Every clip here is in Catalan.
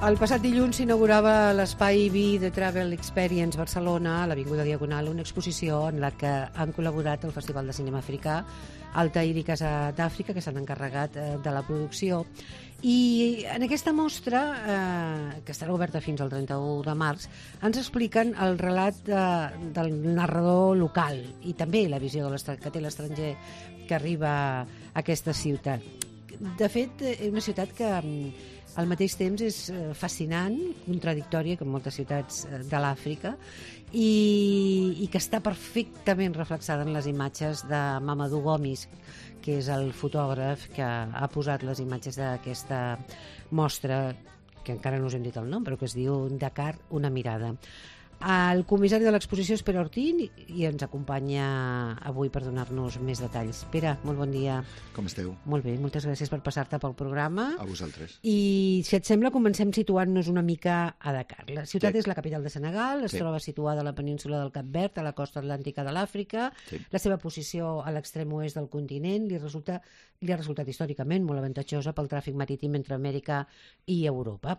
El passat dilluns s'inaugurava l'Espai Vi de Travel Experience Barcelona, a l'Avinguda Diagonal, una exposició en la que han col·laborat el Festival de Cinema Africà, Altair i Casa d'Àfrica, que s'han encarregat de la producció. I en aquesta mostra, que estarà oberta fins al 31 de març, ens expliquen el relat del narrador local i també la visió que té l'estranger que arriba a aquesta ciutat. De fet, és una ciutat que al mateix temps és fascinant, contradictòria, com moltes ciutats de l'Àfrica, i que està perfectament reflexada en les imatges de Mamadou Gomis, que és el fotògraf que ha posat les imatges d'aquesta mostra, que encara no us hem dit el nom, però que es diu Dakar, una mirada. El comissari de l'exposició és Pere Ortín i ens acompanya avui per donar-nos més detalls. Pere, molt bon dia. Com esteu? Molt bé, moltes gràcies per passar-te pel programa. A vosaltres. I si et sembla, comencem situant-nos una mica a Dakar. La ciutat és la capital de Senegal, es troba situada a la península del Cap Verd, a la costa atlàntica de l'Àfrica. La seva posició a l'extrem oest del continent li ha resultat històricament molt avantatjosa pel tràfic marítim entre Amèrica i Europa.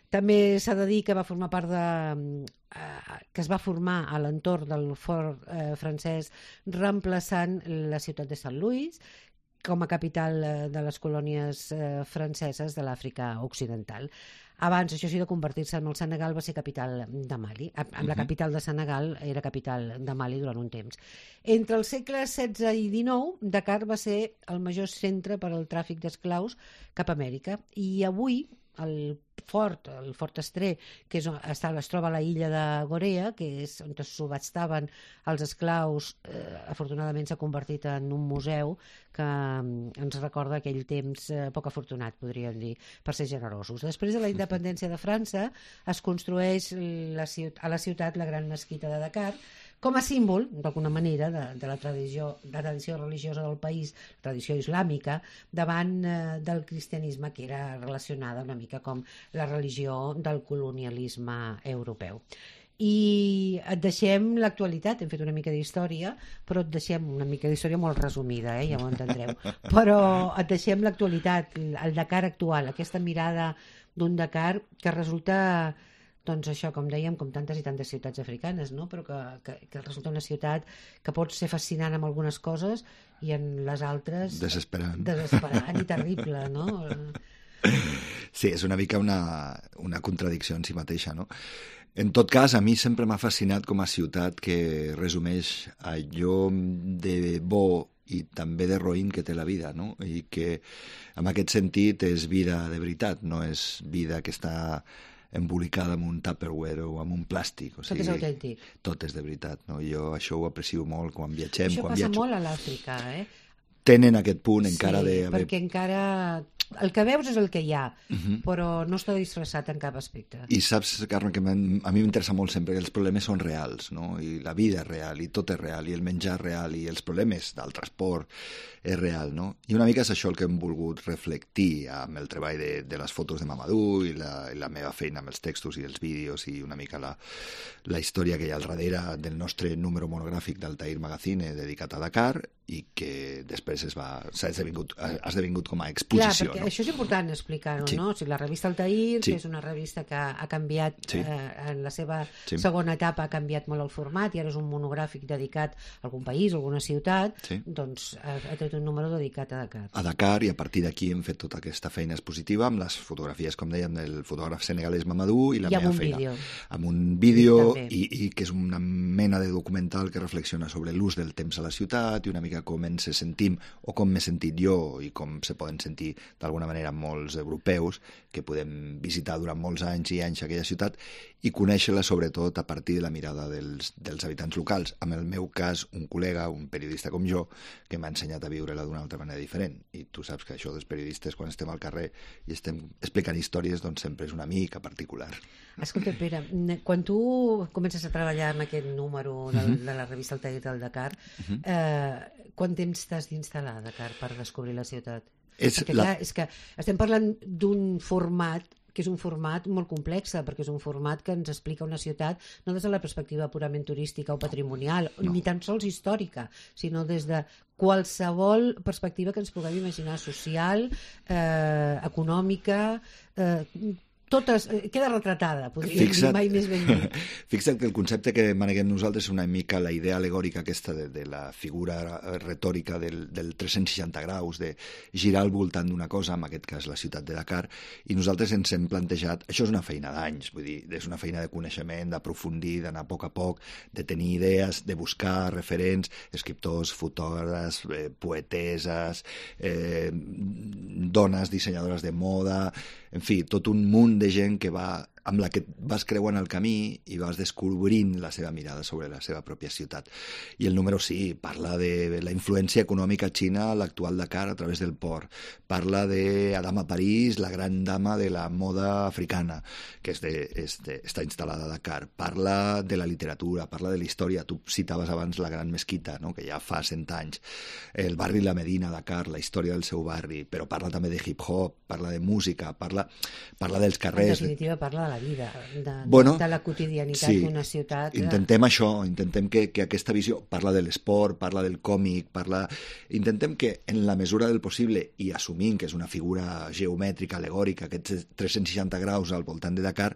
També s'ha de dir que va formar part que es va formar a l'entorn del fort francès, reemplaçant la ciutat de Sant Louis com a capital de les colònies franceses de l'Àfrica Occidental. Abans, això sí, de convertir-se en el Senegal, va ser capital de Mali. Amb la capital de Senegal era capital de Mali durant un temps. Entre els segles XVI i XIX, Dakar va ser el major centre per al tràfic d'esclaus cap a Amèrica. I avui, el Fort Estré, que es troba a la illa de Gorea, que és on es subhataven els esclaus, afortunadament s'ha convertit en un museu que ens recorda aquell temps poc afortunat, podríem dir, per ser generosos. Després de la independència de França, es construeix a la ciutat la gran mesquita de Dakar, com a símbol, d'alguna manera, de la tradició religiosa del país, tradició islàmica, davant del cristianisme, que era relacionada una mica com la religió del colonialisme europeu. I et deixem l'actualitat, hem fet una mica d'història, però et deixem una mica d'història molt resumida, ja ho entendreu, però et deixem l'actualitat, el Dakar actual, aquesta mirada d'un Dakar que resulta, doncs això, com dèiem, com tantes i tantes ciutats africanes, no? Però que resulta una ciutat que pot ser fascinant amb algunes coses i en les altres desesperant i terrible, no? Sí, és una mica una contradicció en si mateixa, no? En tot cas, a mi sempre m'ha fascinat com a ciutat que resumeix allò de bo i també de roïn que té la vida, no? I que, en aquest sentit, és vida de veritat, no és vida que està embolicada amb un Tupperware o amb un plàstic. O sigui, tot és autèntic. Tot és de veritat, no? Jo això ho aprecio molt quan viatgem. Això passa molt a l'Àfrica, Tenen aquest punt encara de... Sí, perquè encara... El que veus és el que hi ha, però no està disfressat en cap aspecte. I saps, Carme, que a mi m'interessa molt sempre que els problemes són reals, no? I la vida és real, i tot és real, i el menjar és real, i els problemes del transport és real, no? I una mica és això el que hem volgut reflectir amb el treball de les fotos de Mamadou i la meva feina amb els textos i els vídeos i una mica la història que hi ha al darrere del nostre número monogràfic d'Altair Magazine dedicat a Dakar i que després ha esdevingut com a exposició. Clar, perquè això és important explicar-ho, no? O sigui, la revista Altair, que és una revista que ha canviat, en la seva segona etapa ha canviat molt el format i ara és un monogràfic dedicat a algun país, a alguna ciutat, doncs ha tret un número dedicat a Dakar. A Dakar, i a partir d'aquí hem fet tota aquesta feina expositiva amb les fotografies, com dèiem, del fotògraf senegalès Mamadou i la meva feina. Amb un vídeo i que és una mena de documental que reflexiona sobre l'ús del temps a la ciutat i una mica com ens sentim o com m'he sentit jo i com se poden sentir d'alguna manera molts europeus que podem visitar durant molts anys i anys aquella ciutat i conèixer-la sobretot a partir de la mirada dels habitants locals. En el meu cas, un col·lega, un periodista com jo, que m'ha ensenyat a viure-la d'una altra manera diferent. I tu saps que això dels periodistes, quan estem al carrer i estem explicant històries, doncs sempre és una mica particular. Escolta, Pere, quan tu comences a treballar en aquest número de la revista Altair del Dakar, quant temps t'has d'instal·lar a Dakar per descobrir la ciutat? Perquè clar, és que estem parlant d'un format que és un format molt complex, perquè és un format que ens explica una ciutat no des de la perspectiva purament turística o patrimonial, ni tan sols històrica, sinó des de qualsevol perspectiva que ens puguem imaginar, social, econòmica, queda retratada, podríem dir, mai més ben dit. Fixa't que el concepte que maneguem nosaltres és una mica la idea alegòrica aquesta de la figura retòrica del 360 graus, de girar al voltant d'una cosa, en aquest cas la ciutat de Dakar, i nosaltres ens hem plantejat, això és una feina d'anys, vull dir, és una feina de coneixement, d'aprofundir, d'anar a poc, de tenir idees, de buscar referents, escriptors, fotògrafs, poeteses, dones dissenyadores de moda, en fi, tot un munt de gent que amb la que vas creuant el camí i vas descobrint la seva mirada sobre la seva pròpia ciutat. I el número sí, parla de la influència econòmica xina a l'actual Dakar a través del port. Parla de Adama París, la gran dama de la moda africana, que està instal·lada a Dakar. Parla de la literatura, parla de la història. Tu citaves abans la Gran Mesquita, no? Que ja fa 100 anys. El barri La Medina, Dakar, la història del seu barri, però parla també de hip-hop, parla de música, parla dels carrers. En definitiva, parla de la vida, de la quotidianitat d'una ciutat. Intentem això, intentem que aquesta visió parla de l'esport, parla del còmic, intentem que en la mesura del possible, i assumint que és una figura geomètrica, alegòrica, aquests 360 graus al voltant de Dakar,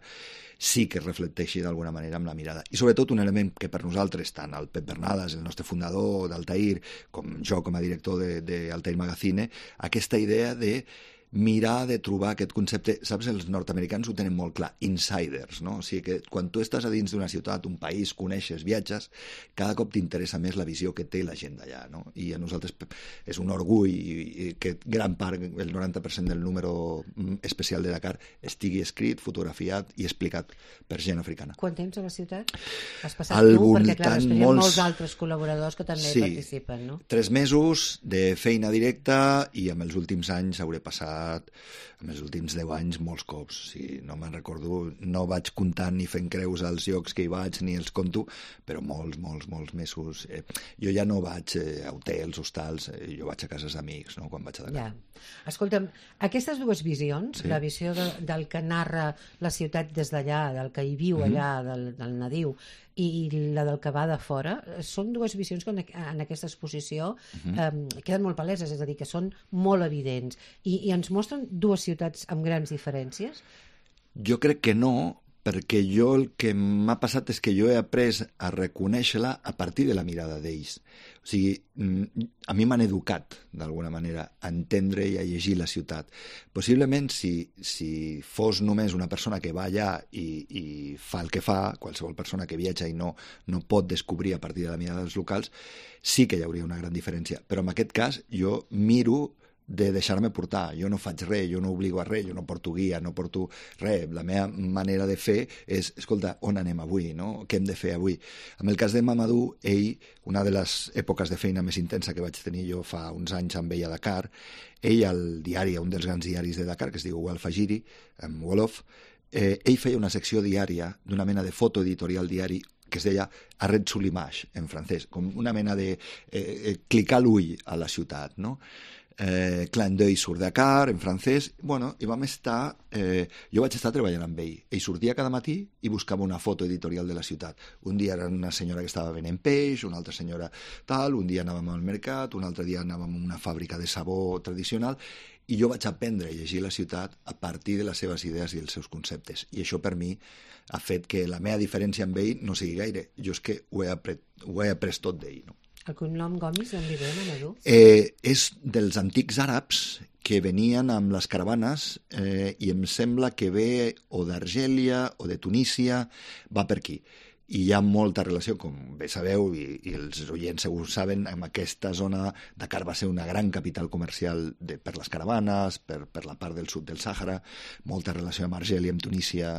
sí que es reflecteixi d'alguna manera amb la mirada. I sobretot un element que per nosaltres, tant el Pep Bernades, el nostre fundador d'Altair, com jo com a director d'Altair Magazine, aquesta idea de mirar de trobar aquest concepte, saps, els nord-americans ho tenen molt clar, insiders, no? O sigui que quan tu estàs a dins d'una ciutat, un país, coneixes, viatges, cada cop t'interessa més la visió que té la gent d'allà, no? I a nosaltres és un orgull i que gran part, el 90% del número especial de Dakar estigui escrit, fotografiat i explicat per gent africana. Quant temps a la ciutat? Has passat tu? Perquè clar, després hi ha molts altres col·laboradors que també participen, no? 3 mesos de feina directa i amb els últims anys hauré passat en els últims 10 anys molts cops, no me'n recordo, no vaig comptant ni fent creus als llocs que hi vaig ni els conto, però molts mesos. Jo ja no vaig a hotels, hostals, jo vaig a cases d'amics, no?, quan vaig a Dakar. Ja. Escolta'm, aquestes dues visions, la visió del que narra la ciutat des d'allà, del que hi viu allà, del nadiu, i la del que va de fora, són dues visions que en aquesta exposició queden molt paleses, és a dir, que són molt evidents. I ens mostren dues ciutats amb grans diferències? Jo crec que no, perquè el que m'ha passat és que jo he après a reconèixer-la a partir de la mirada d'ells. O sigui, a mi m'han educat, d'alguna manera, a entendre i a llegir la ciutat. Possiblement, si fos només una persona que va allà i fa el que fa, qualsevol persona que viatja i no pot descobrir a partir de la mirada dels locals, sí que hi hauria una gran diferència. Però en aquest cas, jo miro de deixar-me portar. Jo no faig res, jo no obligo a res, jo no porto guia, no porto res. La meva manera de fer és, escolta, on anem avui, no? Què hem de fer avui? En el cas de Mamadou, una de les èpoques de feina més intensa que vaig tenir jo fa uns anys amb ell a Dakar, al diari, un dels grans diaris de Dakar, que es diu Al Fajiri, en Wolof, ell feia una secció diària d'una mena de foto editorial diari que es deia Arrête sous l'image, en francès, com una mena de clicar l'ull a la ciutat, no? Clin d'œil sur Dakar, en francès, i vam estar, jo vaig estar treballant amb ell. Ell sortia cada matí i buscava una foto editorial de la ciutat. Un dia era una senyora que estava venent peix, una altra senyora tal, un dia anàvem al mercat, un altre dia anàvem a una fàbrica de sabó tradicional, i jo vaig aprendre a llegir la ciutat a partir de les seves idees i els seus conceptes. I això per mi ha fet que la meva diferència amb ell no sigui gaire. Jo és que ho he après tot d'ell, no? El cognom Gomis, d'on li ve, Mamadou? És dels antics àrabs que venien amb les caravanes i em sembla que ve o d'Argèlia o de Tunísia, va per aquí. I hi ha molta relació, com bé sabeu, i els oients segur saben, amb aquesta zona. Dakar va ser una gran capital comercial per les caravanes, per la part del sud del Sàhara, molta relació amb Argèlia, amb Tunísia,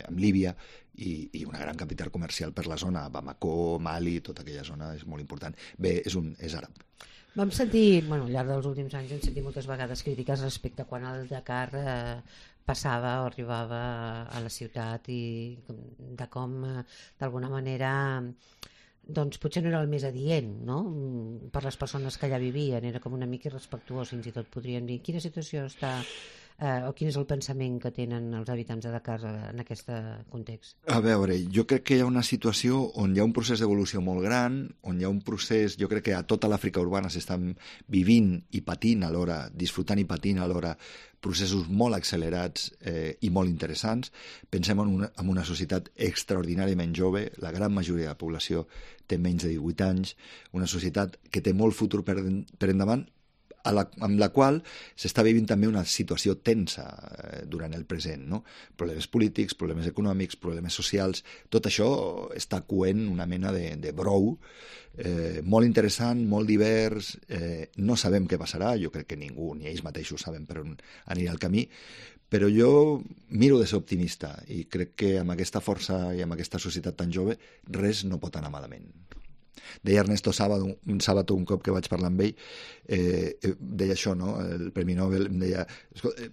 amb Líbia, i una gran capital comercial per la zona. Bamako, Mali, tota aquella zona és molt important. Bé, és àrab. Vam sentir, al llarg dels últims anys hem sentit moltes vegades crítiques respecte a quan el Dakar passava o arribava a la ciutat i de com, d'alguna manera, doncs potser no era el més adient, no?, per les persones que allà vivien. Era com una mica irrespectuós, fins i tot podríem dir. Quina situació està o quin és el pensament que tenen els habitants de Dakar en aquest context? A veure, jo crec que hi ha una situació on hi ha un procés d'evolució molt gran, on hi ha un procés, jo crec que a tota l'Àfrica urbana s'estan vivint i patint alhora, disfrutant i patint alhora, processos molt accelerats i molt interessants. Pensem en una societat extraordinàriament jove, la gran majoria de la població té menys de 18 anys, una societat que té molt futur per endavant, amb la qual s'està vivint també una situació tensa durant el present, no? Problemes polítics, problemes econòmics, problemes socials, tot això està coent una mena de brou molt interessant, molt divers, no sabem què passarà, jo crec que ningú, ni ells mateixos saben per on anirà el camí, però jo miro de ser optimista i crec que amb aquesta força i amb aquesta societat tan jove res no pot anar malament. Deia Ernesto Sábato un cop que vaig parlar amb ell, deia això, ¿no? El Premi Nobel, em deia,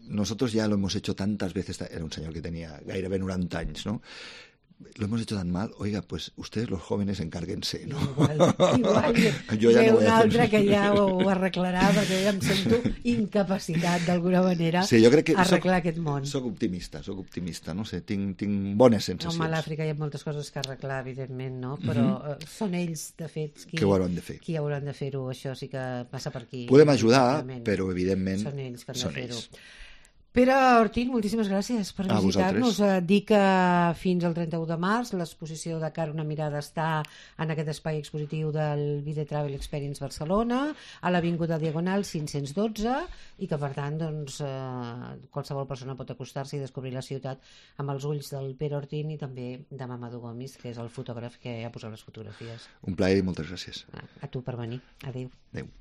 nosotros ya lo hemos hecho tantas veces, era un senyor que tenia gairebé 90 anys, ¿no? Lo hemos hecho tan mal, oiga, pues ustedes los jóvenes encárguense, ¿no? Igual jo ja ve no un altre que ja ho arreglarà, perquè ja em sento incapacitat d'alguna manera a arreglar aquest món. Soc optimista, no sé, tinc bones sensacions. Home, a l'Àfrica hi ha moltes coses que arreglar, evidentment, no? Però són ells, de fet, qui hauran de fer-ho, això sí que passa per aquí. Podem ajudar, però evidentment són ells que han de fer-ho. Pere Ortín, moltíssimes gràcies per visitar-nos. Dic que fins al 31 de març l'exposició Dakar una mirada està en aquest espai expositiu del Vide Travel Experience Barcelona, a l'Avinguda Diagonal 512, i que per tant doncs, qualsevol persona pot acostar-se i descobrir la ciutat amb els ulls del Pere Ortín i també de Mamadou Gomis, que és el fotògraf que ha posat les fotografies. Un plaer i moltes gràcies. A tu per venir. Adéu. Adéu.